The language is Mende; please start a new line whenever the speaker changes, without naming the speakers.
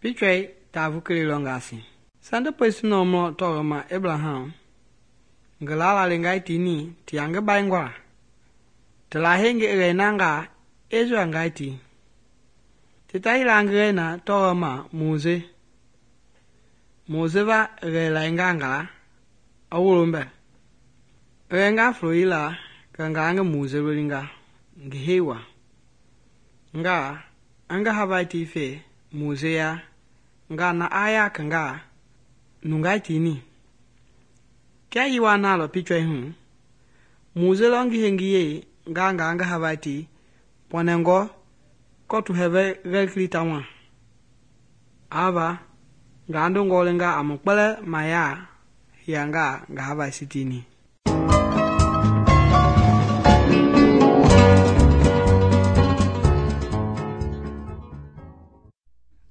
Pichwei tavu kele lɔngasi. Sande pɛsinɔ mɔ tɔgɔma Abraham ngi lalengai tini tia ngi baingwa. Tela hengi ɣɛinanga Israel ngai ti. Tita yila ngi ɣɛina tɔgɔma Mose. Mose va ɣɛlainga nga a wolombɛ. Ɣɛinga flo yila kɛ nga ngi Mose lolinga ngi hei wa. Nga anga havai ti fe Mose ya nga na aya kanga nungai tini. Kia yiwa nalɔ pichwei hu, Mose lɔ ngi hengi ye nga ngi havai ti pɔnɛngɔ kɔtu hɛvɛ ɣɛkili tawa. Ava nga ndo ngɔlinga a mu kpɛlɛ ma ya hianga nga havai sitini.